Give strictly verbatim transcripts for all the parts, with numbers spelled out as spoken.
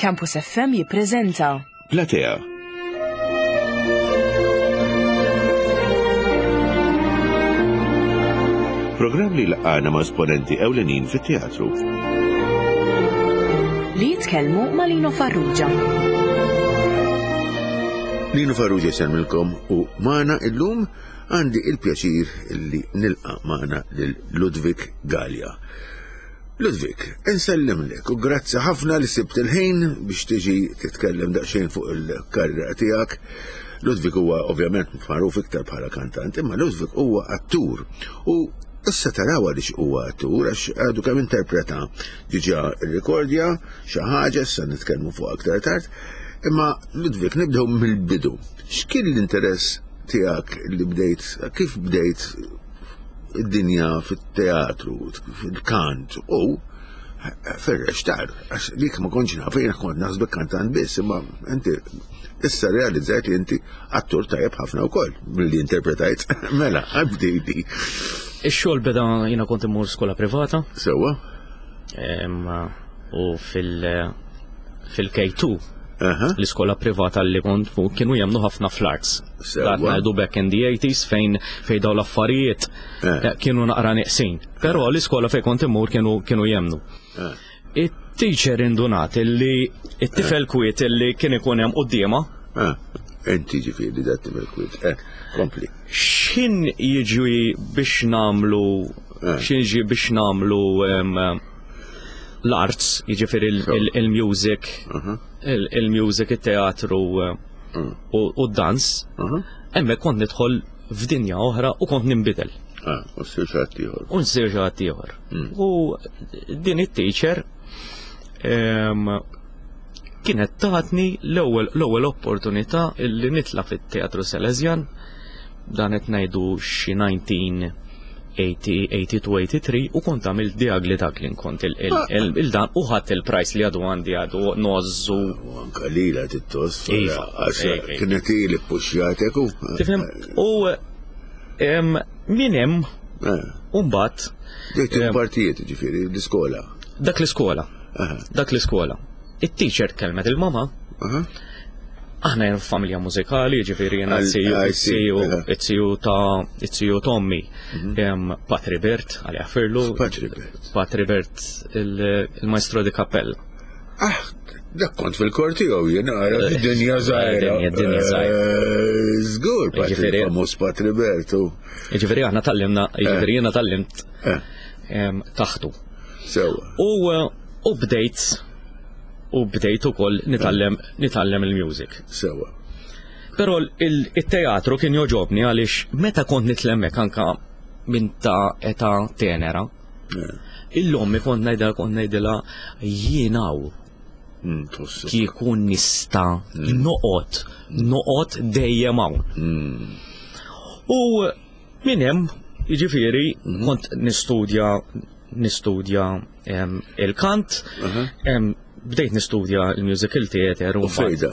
Campus F M jippreżenta Platea. Programm li laqana ma' esponenti ewlenin fit-teatru. Li jitkellmu ma' Lino Farrugia. Lino Farrugia jsellmilkom u magħna illum għandi il-pjaċir li nilqa' magħna lil Ludwig Galea. Ludwig, insellimlek u grazzi ħafna li sibt il-ħin biex tiġi titkellem daqsxejn fuq il-karriera tiegħek. Ludwig huwa ovvjament magħruf iktar bħala kantant, imma Ludwig huwa attur u issa taraw għaliex huwa attur, għax għadu kemm interpreta diġà rrekordja xi ħaġa, issa nitkellmu fuq aktar tard. Imma Ludwig, nibdew mill-bidu. X'kien l-interess tiegħek li bdejt, kif bdejt id-dinja fit-teatru, fil-kant u fir-reċtar? Għax dik ma kontx naf, jiena kont naħsbek kantant biss, imma inti issa realizzajt li inti attur tajjeb ħafna wkoll milli interpretajt. Mela, għabdejdi. Ix-xogħol beda, jiena kont immur skola privata. Sewwa. Em, u fil fil-K two Aha. l-iskola privata li kont fuq kienu jemmnu ħafna fl-arts. Sewwa. Dak ngħidu back in the eighties fejn fejn daw l-affarijiet Eh. eh, kienu naqra neqsin. Però l-iskola fejn kont immur kienu kienu jemmnu. Eh. It-teacher indunat illi it-tifel kwiet illi kien ikun hemm quddiemha Ah, inti ġifieri dat tifel kwiet. Eh, kompli. X'ħin jiġi biex nagħmlu Eh. x'ħin jiġi biex nagħmlu em, l-arts, jiġifieri il- il- il-music, Aha. il- il-music, il-teatru eh, Mm. u u d-dans, Aha. hemmhekk kont nidħol f'dinja oħra u kont ninbidel. Ah, u ssir xi ħadd ieħor. U nsir xi ħadd ieħor. Mm. U din it-teacher em, kienet tatni l-ewwel l-ewwel opportunità illi nitla fit-Teatru Salesian, dan qed ngħidu xi elf disa' mija tmeningen, tnejn u tmenin u u kont għamilt The Ugly Duckling, kont il- il- il- il-dan u ħadd il-prize li għadu għandi, għadu ngħożżu. U anka lila tittos. Iva, Għax iva, iva. kienet ili puxjatek u. Tifhem? U em, min hemm Eh, u mbagħad Dejt Em. partijiet ġifieri l-iskola. Dak l-iskola. Aha. Dak l-iskola. It-teacher kellmet il-mama. Aha. Aħna jen familja mużikali, ġifieri jena Għal- it-siju, I see, it-siju, aha. it-siju ta' it-siju Tommy, em, Patri Bert, għalli għafirlu. Patri Bert. Patri Bert, il- il-maestro di cappella. Ah, dak kont fil-kor tiegħu jien, ara dinja żgħira. Dinja- dinja żgħira. Eh, Żgur, Patri Ġifieri- famuż Patri Bert u. Ġifieri aħna tgħallimna, ġifieri jena tgħallimt Eh, em, taħtu. Sewwa. U eh, u bdejt u bdejt ukoll nitgħallem nitgħallem il-music. Sewwa. Però il- il-teatru kien jogħġobni għaliex meta kont nitlemmek anka minn ta' età tenera, Eh, illum kont ngħidha kont ngħidilha jien hawn mm, Tħossu. kieku nista' noqgħod noqgħod dejjem hawn. Mm, U minn hemm, jiġifieri, kont nistudja nistudja em, il-kant, aha. em, bdejt nistudja il-musical theater U u mbagħad fejda.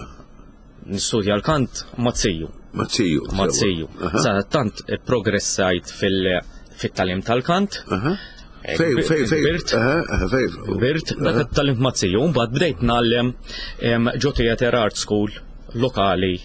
nistudja l-kant ma' ziju. Ma' ziju. Ma' ziju. Aha. Sa tant progressajt fil- fit-tagħlim tal-kant. Aha. Eh, Fej, kbir- fej, fej. Kbirt, Aha, aha, fej. kbirt, dak it-tagħlim ma' ziju, mbagħad bdejt ngħallem em, ġo Theater Art School lokali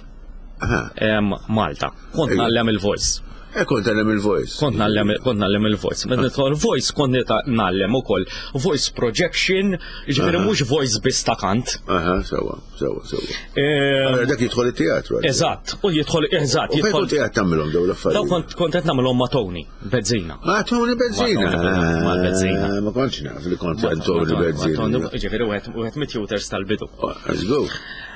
Aha. em, Malta. Kont Ejja. ngħallem il-voice. E kont tgħallem il-voice. Kont ngħallem kont ngħallem il-voice. Meta nidħol voice kont nita- ngħallem ukoll voice projection, jiġifieri mhux voice biss ta' kant. Aha, sewwa, sewwa, sewwa. Em, Allora dak jidħol it-teatru. għalli. Eżatt, u jidħol, eżatt, U fejn jidħol. kont qiegħed tagħmilhom dawn Daw l-affarijiet? kont kont qed nagħmilhom ma' Tony Bezzina. Ma' Tony Bezzina. Ma' Tony- ma' Bezzina. Ah, ma kontx naf li kont għand Tony Bezzina. Ġifieri wieħed wieħed mit-tutors tal-bidu. Oh, let's go.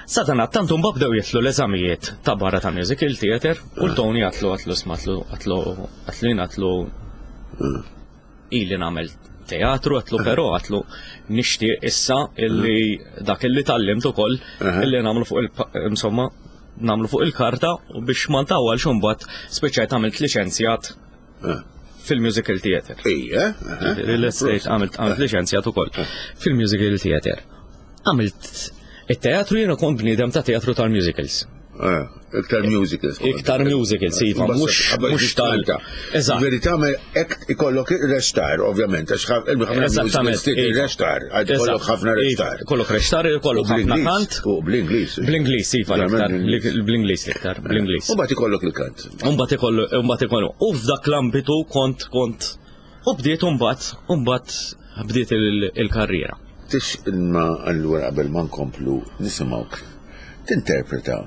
Sadana, tant mbagħad bdew jidħlu l-eżamijiet ta' barra ta' musical theater u l-Tony għatlu għatlu smatlu għatlu għatlu jien għatlu ili nagħmel teatru, għatlu però għatlu nixtieq issa illi dak illi tgħallimt ukoll Aha. illi nagħmlu fuq il insomma nagħmlu fuq il-karta u biex ma ntawwalx imbagħad spiċċajt għamilt liċenzjat Ah. fil-musical theater. Ejja. aha. L-estate għamilt għamilt liċenzjat ukoll fil-musical theater. Għamilt it-teatru, jiena kont bniedem ta' teatru tal-musicals. Ah, Iktar musicals. Iktar musicals, iva, mhux mhux tal. Eżatt. Verità hekk ikollok reċtar, ovvjament, għax ħafna Eżattament. Reċtar, għad ikollok ħafna reċtar. Ikollok reċtar, ikollok ħafna kant. U bl-Ingliż. Bl-Ingliż, iva, l-iktar, bl-Ingliż l-iktar, bl-Ingliż. U mbagħad ikollok il-kant. U mbagħad ikollu, mbagħad ikollu. U f'dak l-ambitu kont kont u bdiet mbagħad, mbagħad bdiet il-karriera. Tix imma allura qabel ma nkomplu nisimgħuk tinterpreta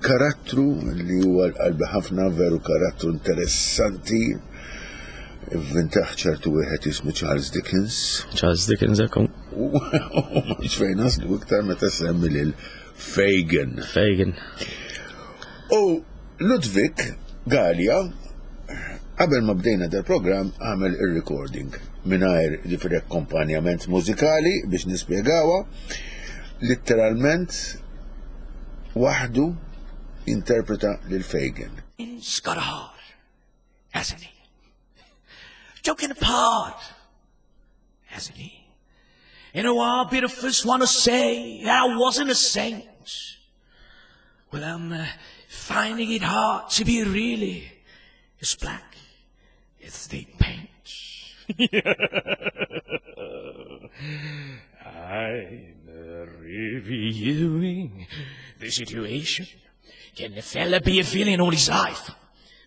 karattru li huwa l-qalbi ħafna, veru karattru interessanti, ivvintaħ ċertu wieħed jismu Charles Dickens. Charles Dickens ekku. U mhux fejn naslu iktar meta semmi lil Fagin. Fagin. U Ludwig Galea, qabel ma bdejna dal-programm, għamel il-recording mingħajr ġifieri akkompanjament mużikali biex nispjegawa, literalment waħdu interpreta lil Fagin. He's got a heart, hasn't he? Joking apart, hasn't he? You know, I'll be the first one to say I wasn't a saint. Well, I'm uh, finding it hard to be really as black as they paint. I'm reviewing the situation. Can a fella be a villain all his life?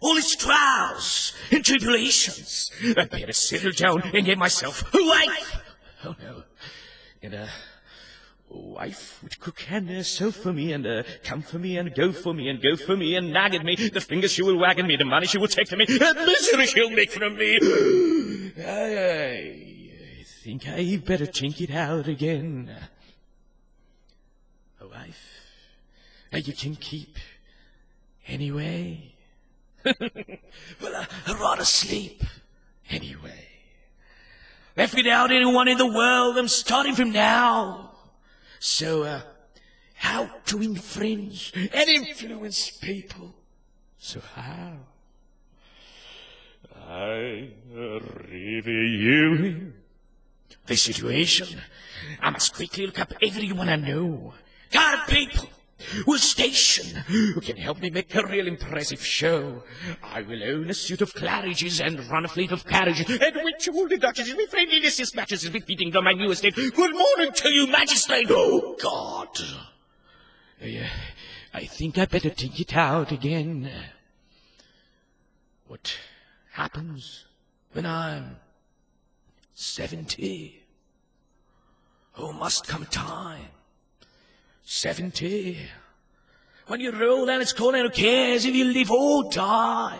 All his trials and tribulations. I'd better settle down and get myself a wife. Oh no. And a wife would cook and uh, sew for me and uh, come for me and go for me and go for me and nag at me. The fingers she will wag at me, the money she will take from me, the misery she'll make from me. I, I think I better think it out again. A wife that you can keep anyway. Well, I, I'd rather sleep anyway. Left without anyone in the world, I'm starting from now. So, uh, how to win friends and influence people? So how? I'm reviewing the situation. I must quickly look up everyone I know. Got people with station who can help me make a real impressive show. I will own a suit of claridges and run a fleet of carriages, and which all the duchesses with friendliness dispatches befitting on my new estate. Good morning to you, magistrate. Oh, God. I, uh, I think I better think it out again. What happens when I'm seventy? Oh, must come time. Seventy. When you roll and it's cold and who cares if you live or die?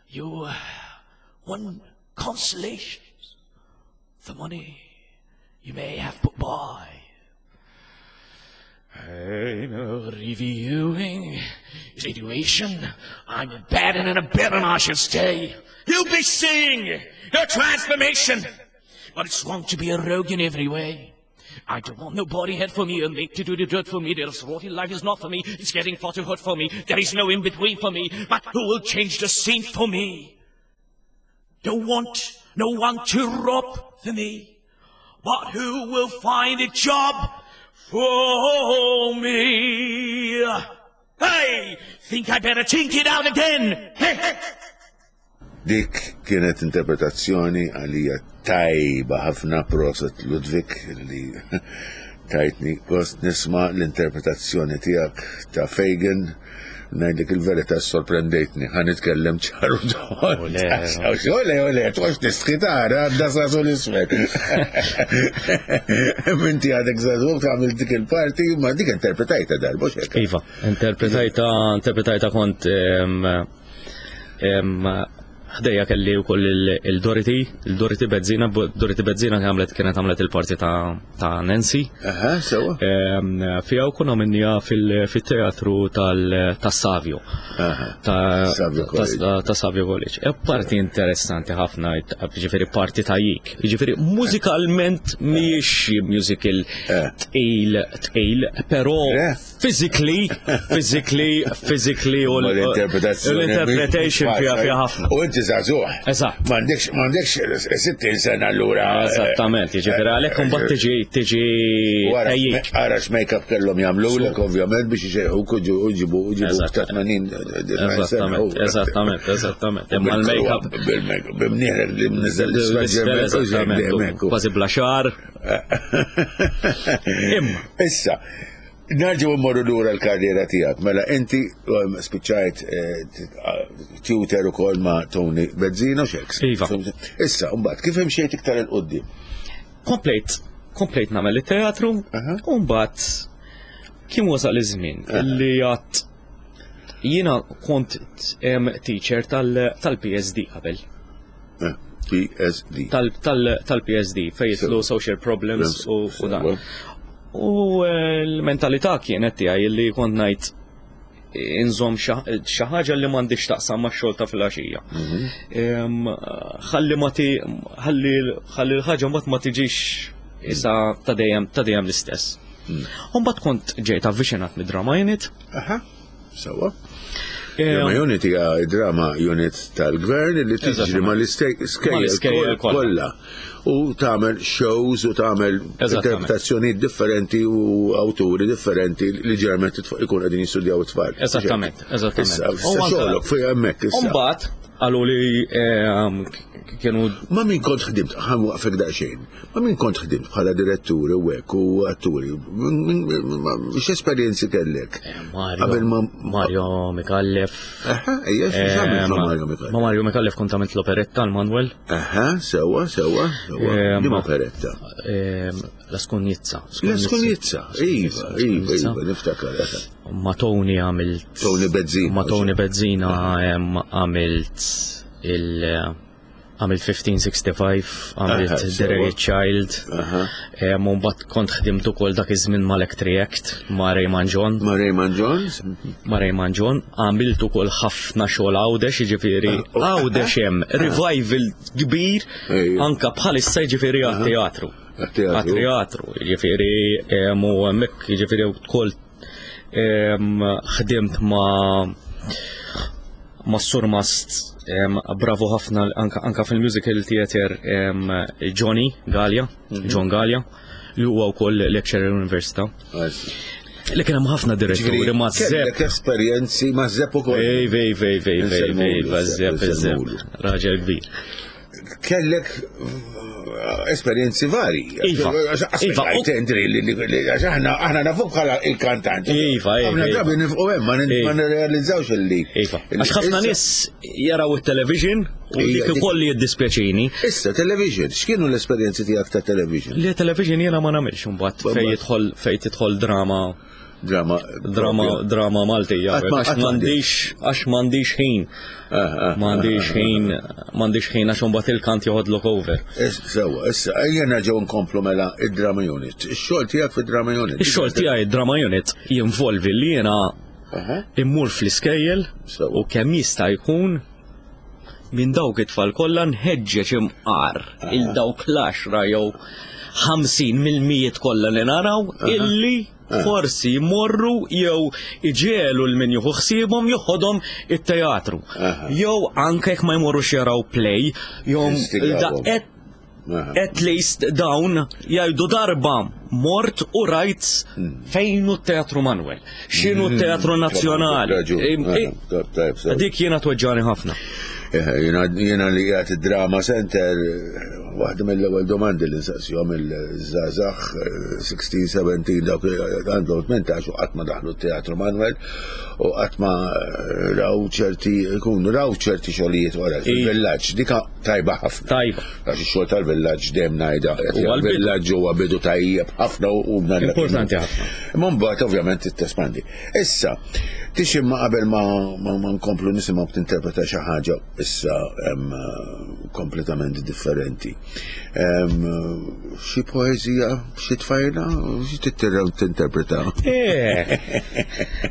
Your one consolation's the money you may have put by. I'm reviewing situation. I'm a bad and a better I should stay. You'll be seeing the transformation. But it's wrong to be a rogue in every way. I don't want nobody head for me, a mate to do the dirt for me. This rotty life is not for me. It's getting far too hot for me. There is no in-between for me. But who will change the scene for me? Don't want no one to rob for me. But who will find a job for me? Hey, think I better think it out again. Hey, hey. Dik kienet interpretazzjoni għalija tajba ħafna, proset Ludwig li tajtni gost nisma l-interpretazzjoni tiegħek ta' Fagin. Ngħidlek il-verità sorprendejtni, ħa nitkellem ċaru Ole, ole, ole, tgħodx nistħi tara, għadda sasu l-isfel. Minti għadek żagħżugħ tagħmel dik il-parti, ma dik interpretajta darba x'hekk. Iva, interpretajta, interpretajta kont em, em, ħdejja kelli wkoll il-Dorothy, il-Dorothy Bezzina, Dorothy Bezzina għamlet kienet għamlet il-parti ta' ta' Nancy. Aha, sewa. Em, Fija u kuna minnija fil-teatru ta' Savio. Aha. Ta' Savio ta' College. ta' ta' Savio College. E parti interessanti ħafna, ġifieri parti ta' jik. Ġifieri mużikalment mhijiex musical Eh. tqil, tqil, però Eh. physically, physically, physically u Ma l-interpretazzjoni. l-interpretation fija fija ħafna. U inti Inti żagħżugħ. Eżatt. M'għandekx m'għandekx sittin sena allura. Eżattament, jiġifieri għalhekk imbagħad tiġi tiġi Wara, tejjik. ara x'make-up kellhom jagħmlulek ovvjament biex ixejħuk u ġu- u ġibu u ġibu Eżatt. ta' tmenin Eżattament, eżattament, eżattament. Imma l-make-up Bil-make-up, b'imnieħrek li mniżel l-isfel, eżattament, u kważi bla xagħar. Imma. Issa, nerġgħu mmorru lura l-karriera tiegħek. Mela inti um, spiċċajt eh, t- tutor ukoll ma' Tony Bezzina xeks. Iva. Issa, mbagħad kif imxejt iktar 'il quddiem? Komplejt, komplejt nagħmel it-teatru, Aha. u mbagħad kien wasal iż-żmien li għat jiena kont em, teacher tal- tal-P S D qabel. Eh, P S D. Tal-P S D fejn jidħlu social problems u u dan. U eh, l-mentalità kienet tiegħi li kont ngħid inżomm xi ħaġa li m'għandix taqsam max-xogħol ta' filgħaxija. Em, Ħalli ma ti ħalli ħalli l-ħaġa mbagħad ma tiġix isa ta' dejjem ta' dejjem l-istess. U mbagħad kont ġejt avviċinat mid-drama unit. Aha, sewwa. Em, Drama unit hija drama unit tal-gvern li tiġri Eżattament. mal-iskejjel Mal-iskejjel kollha. kollha. U tagħmel shows u tagħmel Eżattament. interpretazzjonijiet differenti u awturi differenti li ġeneralment it- ikun qegħdin jistudjaw it-tfal. Eżattament, eżattament. Issa, U issa anka- xogħlok fej hemmhekk U issa. mbagħad qalu li em, kienu Ma min kont ħdimt, ħa nwaqqfek daqsxejn, ma min kont ħdimt bħala diretturi u hekk u atturi, Min- min- ma- x'esperjenzi kellek? Mario Qabel ma- Mario Micallef. Aha, ejja, x'għamilt ma' Mario Micallef? Ma' Mario Micallef kont għamilt l-operetta l-Manuel. Aha, sewwa, sewwa, sewwa. Eh, Di ma- operetta. Em, La Scugnizza. La Scugnizza, iva, iva, iva, niftakar. Aha. Ma' Tony għamilt. Tony Bezzina. Ma' Tony Bezzina em, għamilt il- għamilt fifteen sixty-five, għamilt Aha, The sewwa. Ragged Child. Aha. Em, U mbagħad kont ħdimt ukoll dak iż-żmien mal-Electriact ma' Raymond John. Ma' Raymond Jones? Ma' Raymond John għamilt ukoll ħafna xogħol Għawdex, jiġifieri Għawdex hemm revival kbir Ejja. anka bħalissa, jiġifieri għat-teatru. Għat-teatru. Għat-teatru, jiġifieri em, u hemmhekk jiġifieri wkoll em, ħdimt ma' ma' Surmast em, bravo ħafna anka, anka fil-musical theater em, Johnny Gallia, John Gallia, li huwa wkoll lecturer l-Università. Li kien hemm ħafna diretturi ma' Zepp. Kellek esperjenzi ma' Zepp ukoll. Ej, vej, vej, vej, vej, vej, Insellmulu, ma' Zepp, Zepp, insellmulu. raġel kbir. Kellek eh, esperjenzi vari. Iva, iva, u- Tendri li li- li- għax aħna aħna nafuk bħala il-kantant. Iva, iva, Aħna iva. drabi nifqu hemm ma nin- Iva. ma nirrealizzawx illi. Iva. Għax ħafna Issa- nies jaraw it-television u Ija, dik dik- ukoll li jiddispjaċini. Issa, television, x'kienu l-esperjenzi tiegħek ta' television? Li television jiena ma nagħmilx imbagħad Mbagħad. fejn jidħol fejn tidħol drama Drama. drama drama Maltija. Qatt ma- Għax qatt ma m'għandix għax m'għandix ħin. Ah, M'għandix ħin, m'għandix ħin għax imbagħad il-kant joħodlok over. Sewwa, issa, ejja nerġgħu nkomplu mela id-drama unit. Ix-xogħol tiegħek fid-drama unit. Ix-xogħol tiegħi drama unit jinvolvi li jiena Aha. immur fl-iskejjel Sewwa. u kemm jista' jkun minn dawk it-tfal kollha nħeġġeġ imqar il dawk l-għaxra jew ħamsin mill-mijiet kollha li naraw illi forsi jmorru jew iġiegħlu 'l min jieħu ħsiebhom joħodhom it-teatru. Aha. Jew anke jekk ma jmorrux jaraw play, jew Instigawhom. da- at, Aha. at least dawn jgħidu darba mort u rajt fejn hu t-Teatru Manuel, x'inhu t-Teatru Nazzjonali. Raġun. Im- Aha, i- Tajb, tajb, sewwa. Dik jiena tweġġani ħafna. Eh, Jiena jiena li qiegħed id-drama center, eh, waħda mill-ewwel domandi li nsaqsihom il-żgħażagħ sittax, sbatax, dawk li għandhom tmintax u qatt ma daħlu t-Teatru Manuel u qatt ma eh, raw ċerti jkunu raw ċerti xogħlijiet wara fil-villaġġ. Dika tajba ħafna. Tajba. Għax ix-xogħol tal-villaġġ dejjem ngħidha. Huwa l-bidu. Il-villaġġ huwa bidu tajjeb ħafna u u Importanti ħafna. Imma mbagħad ovvjament tespandi. Issa, tiximma qabel ma, ma, ma nkomplu nisimgħu tinterpreta xi ħaġa issa em, kompletament differenti. Em, Xi poeżija, xi tfajla, xi tittirra tinterpreta. Eh,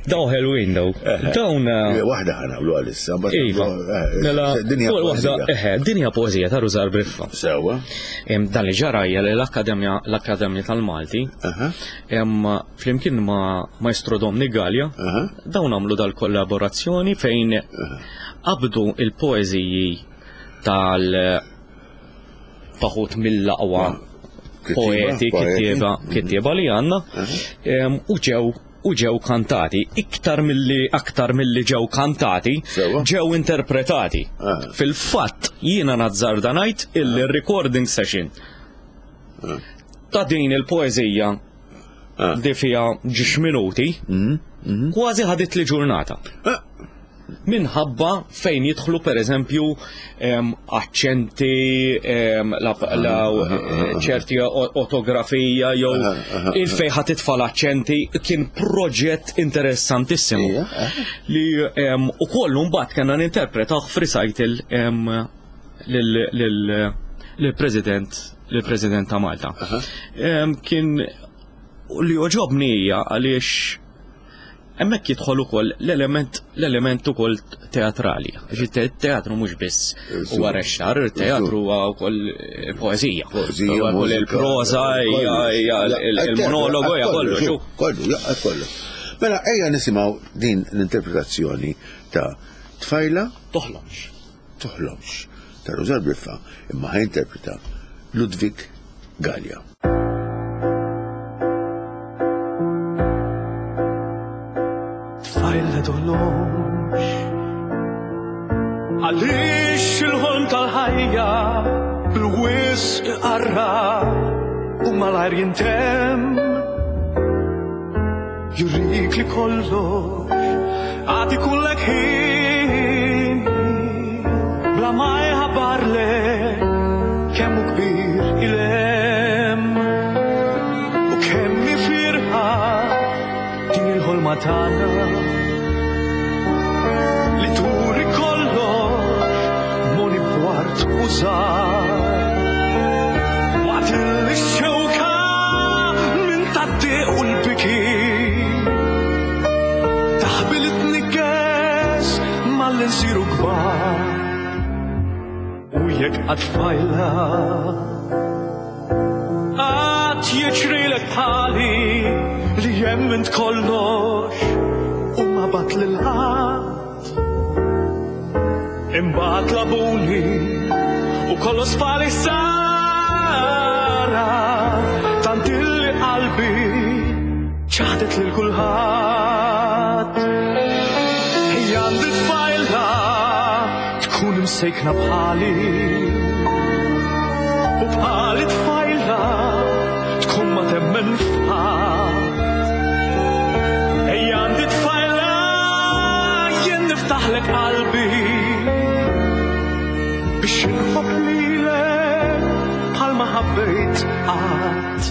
daw ħelwin daw. Dawn. eh, Waħda ħa nagħmlu għalissa, mbagħad Iva. nagħmlu, eh, Mela, dinja fuq waħda, poeżija. eħe, dinja poeżija ta' Rużar Briffa. Sewwa. Em, Dan li ġara hija li l-Akkademja l-Akkademja tal-Malti Aha. em, flimkien ma' Maestro Domni Gallia Aha. dawn għamlu dal-kollaborazzjoni fejn qabdu il-poeżiji tal taħut mill-aqwa poeti, kittieba, kittieba li għandna, u ġew u ġew kantati, iktar milli aktar milli ġew kantati, ġew interpretati. Fil-fatt jiena nazzarda ngħid illi recording session ta' din il-poeżija li fiha ġiex minuti kważi ħadit li ġurnata. Minħabba fejn jidħlu per eżempju aċċenti, ċerti ortografija jew il-fejn ħa titfa' l-aċċenti, kien proġett interessantissimu. Li ukoll mbagħad kellna ninterpretaw f'recital lill-President lill-President ta' Malta. Kien li oġobni hija għaliex hemmhekk jidħol ukoll l-element l-element ukoll teatrali. Għax teatru mhux biss huwa rexxar, teatru huwa wkoll poeżija. Poeżija, wkoll il-proża, hija il-monologu, hija kollu. Kollu, jaqqa kollu. Mela ejja nisimgħu din l-interpretazzjoni ta' Tfajla Toħlomx. Toħlomx ta' Rużar Briffa, imma ħa jinterpreta Ludwig Galea. Tfajla toħlomx, għaliex il-ħolm tal-ħajja bil-wisq iqarraq u malajr jintemm. Jurik li kollox għad ikullek ħin, bla ma jħabbarlek kemm hu kbir il-hemm u kemm hi firħa din il-ħolma tagħna li turi kollox moni b'wart u żgħar. Waqt li x-xewka minn tad-dieq u l-biki taħbil it-tnikkes malli nsiru kbar. U jekk qatt tfajla qatt jiġrilek bħali li jemmint kollox u ma bat lil ħadd, imbagħad labuni u kollox fali sara, tant illi qalbi ċaħdet lil kulħadd. Ejja għandi tfajla tkun imsejkna bħali, u bħali tfajla tkun ma temmen f'ħadd. Ejja għandi tfajla jien niftaħlek qalbi biex inħobb lilek bħalma ħabbejt qatt.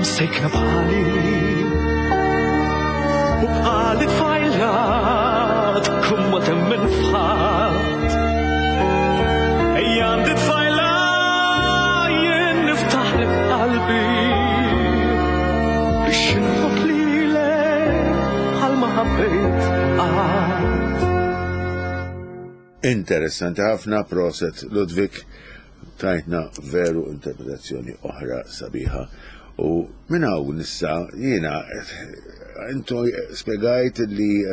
Msejkna bħali, u bħali tfajla tkun ma temmen f'ħadd. Ejja għandi tfajla jien niftaħlek qalbi biex inħobb lilek bħalma ħabbejt qatt. Interessanti ħafna, proset Ludwig, tajtna veru interpretazzjoni oħra sabiħa. U minn hawn nissa jiena intu spjegajt li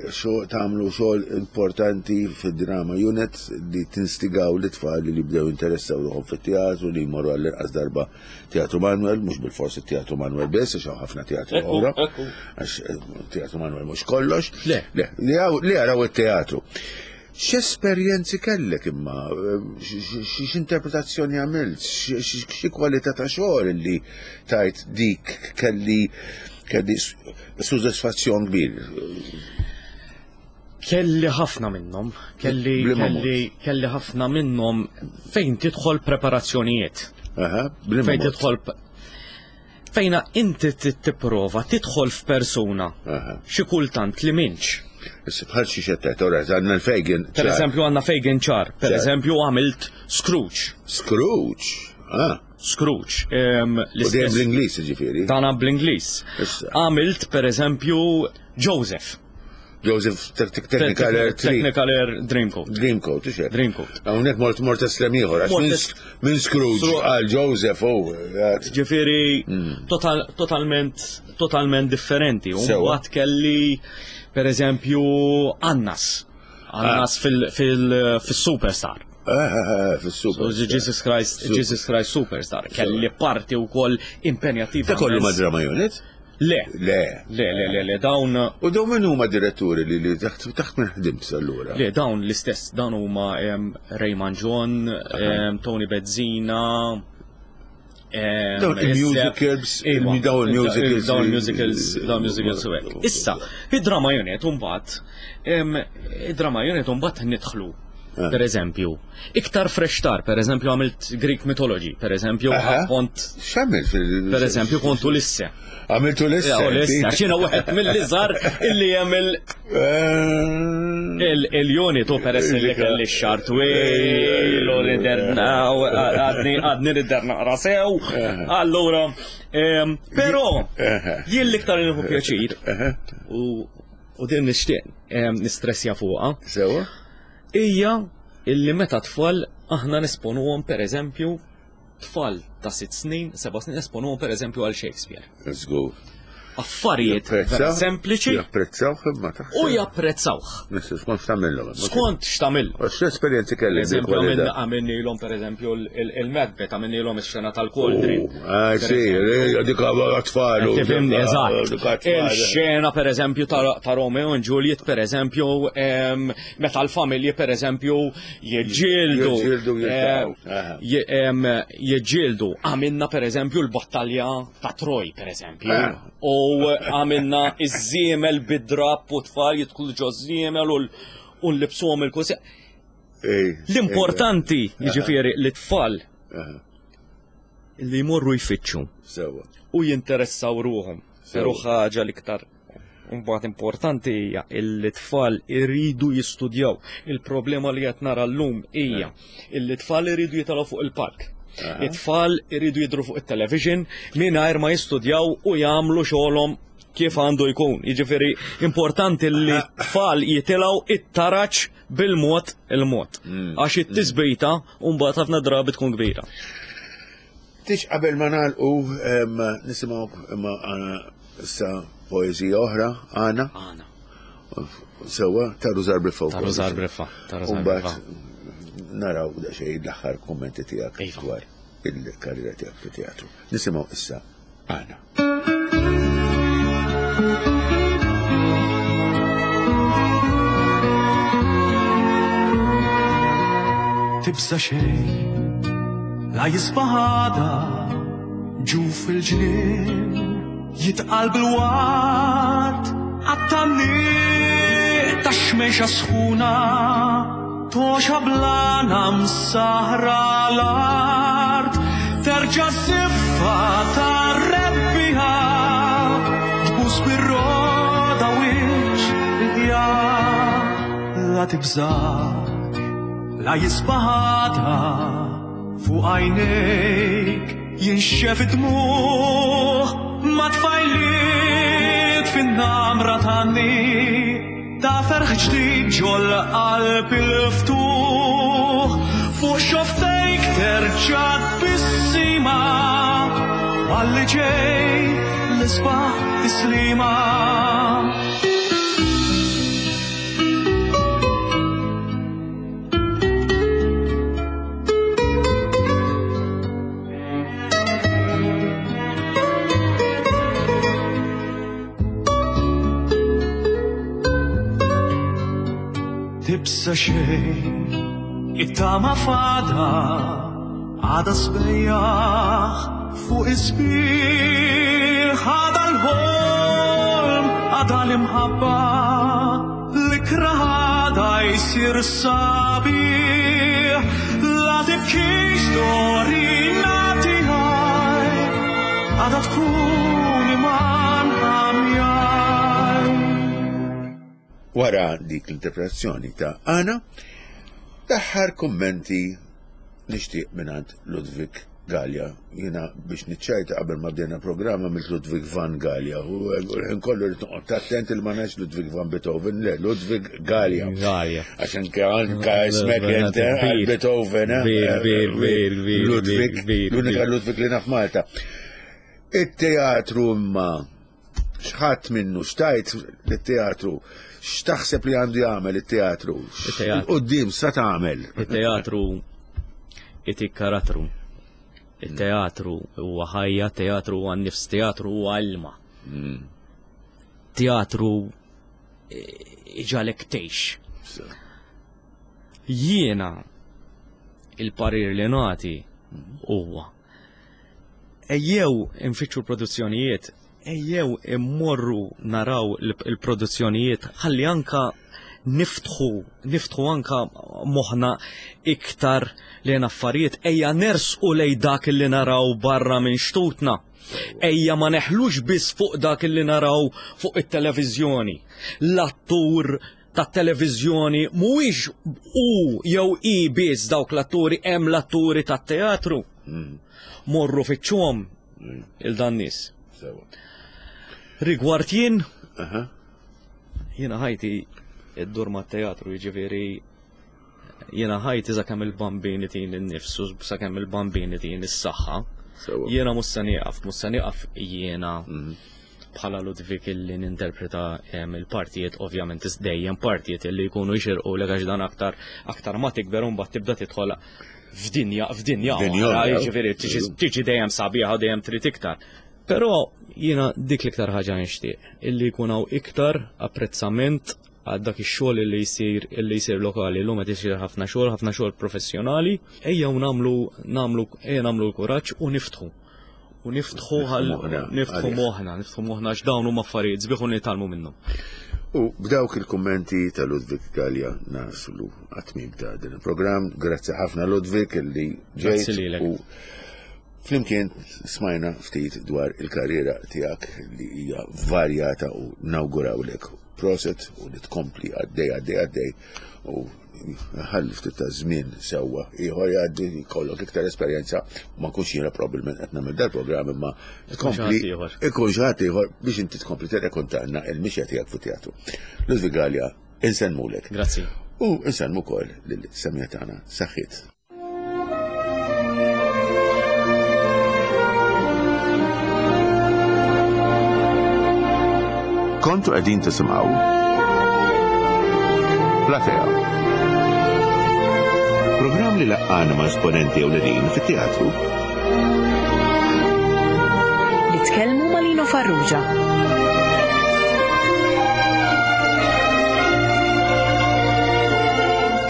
tagħmlu xogħol importanti fid-drama unit li tinstigaw l-itfal li jibdew interessaw ruħhom fit-teatru, li jmorru għall-inqas darba Teatru Manuel, mhux bilfors it-Teatru Manuel biss, għax hawn ħafna teatru oħra, għax Teatru Manuel mhux kollox. Le, li jaraw it-teatru. X'esperjenzi kellek imma, x'interpretazzjoni għamilt, xi kwalità ta' xogħol li tajt dik kelli kelli sodisfazzjon kbir? Kelli ħafna minnhom, kelli kelli kelli ħafna minnhom fejn tidħol preparazzjonijiet. Aha, fejn tidħol fejna inti tipprova tidħol f'persuna xi kultant li minx. Issa bħal xi xettet, ora għandna l-Fagin. Per eżempju għandna Fagin ċar, per eżempju għamilt Scrooge. Scrooge? Ah. Scrooge. U dejjem bl-Ingliż ġifieri. Dana bl-Ingliż. Għamilt per eżempju Joseph. Joseph Technicolor Technicolor Dreamcoat. Dreamcoat, ixer. Dreamcoat. Hawnhekk mort mort estrem ieħor, għax minn Scrooge għal Joseph u. Ġifieri totalment totalment differenti. U mbagħad kelli per eżempju Annas. Annas fil-Superstar. Fil-Superstar. Jesus Christ, Jesus Christ Superstar. Kelli parti wkoll impenjattiva. Ta' kollu ma' Drama Unit? Le. Le. Le, le, le, le, dawn. U dawn min huma diretturi li li taħt taħt minn ħdimt allura? Le, dawn l-istess, dawn huma Raymond John, Tony Bezzina, dawn il-musicals, dawn il-musicals, dawn il-musicals, dawn il-musicals u hekk. Issa, id-Drama Unit mbagħad, id-Drama Unit mbagħad nidħlu. Per eżempju, iktar fresh tar, per eżempju għamilt Greek mythology, per eżempju kont. X'għamilt fil. Per eżempju kont Ulisse. Għamilt Ulisse. Ulisse, għax jiena wieħed mill-iżgħar illi jagħmel il-unit u peress li kelli x-xar twil u niderna għadni għadni nidher naqra sew. Allura, però jien l-iktar li nieħu pjaċir u din nixtieq nistressja fuqha. Sewa? Ija illi meta tfal aħna nesponuhom per eżempju tfal ta' sitt snin, seba' snin nesponuhom per eżempju għal Shakespeare. Let's go. Affarijiet sempliċi. Japprezzawh imma taħseb. U japprezzawh. Nissu skont x'tagħmilhom. Skont x'tagħmilhom. X'esperjenzi kelli? Eżempju għamilnilhom per eżempju il-Macbeth, għamilnilhom ix-xena tal-Cauldron. Ah sì, dik tfal. Tifhimni, eżatt. Il-xena per eżempju ta' Romeo and Juliet per eżempju meta l-familji per eżempju jiġġieldu. Jiġġieldu. Għamilna per eżempju l-battalja ta' Troy per eżempju. U għamilna iż-żiemel bid-drapp u tfal jidħlu ġo żiemel u nlibsuhom il-kusi. L-importanti jiġifieri li tfal li jmorru jfittxu u jinteressaw ruhom. Però ħaġa l-iktar mbagħad importanti hija li tfal iridu jistudjaw. Il-problema li qed nara llum hija li tfal iridu jitalgħu fuq il-palk. It-tfal iridu jidru fuq it-television mingħajr ma jistudjaw u jagħmlu xogħolhom kif għandu jkun. Jiġifieri importanti li t-tfal jitilgħu it-taraġ bil-mod il-mod. Għax it-tisbejta u mbagħad ħafna drabi tkun kbira. Tix qabel ma nagħlqu nisimgħu imma issa poeżija oħra għana. Għana. Sewwa ta' Rużar Briffa. Ta' Rużar Briffa. Ta' Rużar Briffa. Naraw daqsxejn l-aħħar kummenti tiegħek dwar il-karriera tiegħek fit-teatru. Nisimgħu issa għana. Tibsa xejn la jisbaħ għada ġuf il-ġnien jitqal bil-ward għat-tgħanniq tax-xmejxa sħuna toxa blana msahra l-art terġa' żiffa tar-rebbiħa tbus bir-roda wiċċ il-ħjar la tibżax la jisbaħ għada fuq għajnejk jinxef id-dmugħ ma tfajliet fin-namra tgħanni ta' ferħ ġdid ġol-qalb il-ftuħ fuq xoftejk terġa' tbissima għalli ġej l-isbaħ tislima. Tibsa xejn it-tama fada għada sbejjaħ fuq isbieħ għada l-ħolm għada l-imħabba l-ikrah għada jsir sabiħ la tibkix dorina tiegħi għada tkun iman għamjaj. Wara dik l-interpretazzjoni ta' Anna, l-aħħar kummenti nixtieq mingħand Ludwig Galea. Jiena biex niċċajta qabel ma bdejna programma mill Ludwig van Galea. U nkollu rrid noqgħod attent il ma ngħidx Ludwig van Beethoven, le Ludwig Galea. Galea. Għax anke anke ismek int għal Beethoven, eh? Kbir, kbir, kbir, kbir, Ludwig, kbir, l-unika kbir. Ludwig li naf Malta. It-teatru imma xħadd minnu xtajt l-teatru, x'taħseb li għandu jagħmel it-teatru? It-teatru. Quddiem sa tagħmel. Il-teatru itik karattru. Il-teatru huwa ħajja, teatru huwa nifs, teatru huwa ilma. Teatru eh, iġalek tgħix. Jiena il-parir li nagħti huwa ejjew infittxu l-produzzjonijiet, ejjew immorru naraw il- il-produzzjonijiet, ħalli anka niftħu, niftħu anka moħna iktar lejn affarijiet, ejja nersqu lej dak li naraw barra minn xtutna. Ejja ma neħlux biss fuq dak li naraw fuq it-televiżjoni. L-attur ta' televiżjoni mhuwiex u jew i biss dawk l-atturi, hemm l-atturi tat-teatru. Morru fittxuhom il-dan nies. Sewa. Rigward jien, Aha. jiena ħajti id-dur ma' teatru, jiġifieri jiena ħajti sakemm il-bambini tin in-nifsu, sakemm il-bambini tin is-saħħa. Sewa. Jiena mhux se nieqaf, mhux se nieqaf jiena bħala Ludwig illi ninterpreta em, il-partijiet, ovvjament is dejjem partijiet illi jkunu jxirqu l għax dan aktar aktar ma tikber u mbagħad tibda tidħol f'dinja f'dinja F'dinja oħra, oħra. jiġifieri tiġi tiġi dejjem sabiħa dejjem trid iktar. Però jiena dik l-iktar ħaġa nixtieq illi jkun hawn iktar apprezzament għal dak ix-xogħol illi jsir illi jsir lokali. Illum qed isir ħafna xogħol, ħafna xogħol professjonali. Ejja u nagħmlu nagħmlu ejja nagħmlu l-kuraġġ u niftħu. U niftħu għal moħħna niftħu għalih. moħħna, niftħu moħħna għax dawn huma affarijiet sbieħ u nitgħallmu minnhom. U b'dawk il-kummenti ta' Ludwig Galea naslu għat-tmiem ta' din il-programm. Grazzi ħafna Ludwig illi ġejt Grazzi lilek. u flimkien smajna ftit dwar il-karriera tiegħek li hija varjata u nawgurawlek proset u li tkompli għaddej għaddej għaddej u ħalli ftit ta' żmien sewwa ieħor jgħaddi jkollok iktar esperjenza ma nkunx jiena probabbilment qed nagħmel dal-programm imma tkompli xi ħadd ieħor. ikun xi ħadd ieħor biex inti tkompli tirrekontanna il-mixja tiegħek fit-teatru. Ludwig Galea, insellmulek. Grazzi. U insellmu wkoll lil-semmiegħa tagħna saħħiet. Kontu qegħdin tisimgħu Platea. Programm li laqqana ma' esponenti ewlenin fit-teatru. Li tkellmu ma' Lino Farrugia.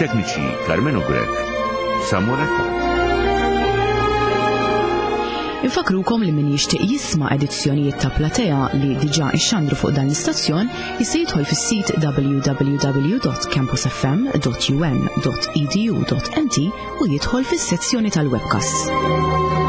Tekniċi Carmenu Grech, Samuel Attard. Infakrukom li min jixtieq jisma' edizzjonijiet ta' Platea li diġà ixxandru fuq dan l-istazzjon jista' jidħol fis-sit w w w dot campus f m dot u n dot e d u dot m t u jidħol fis-sezzjoni tal-webcast.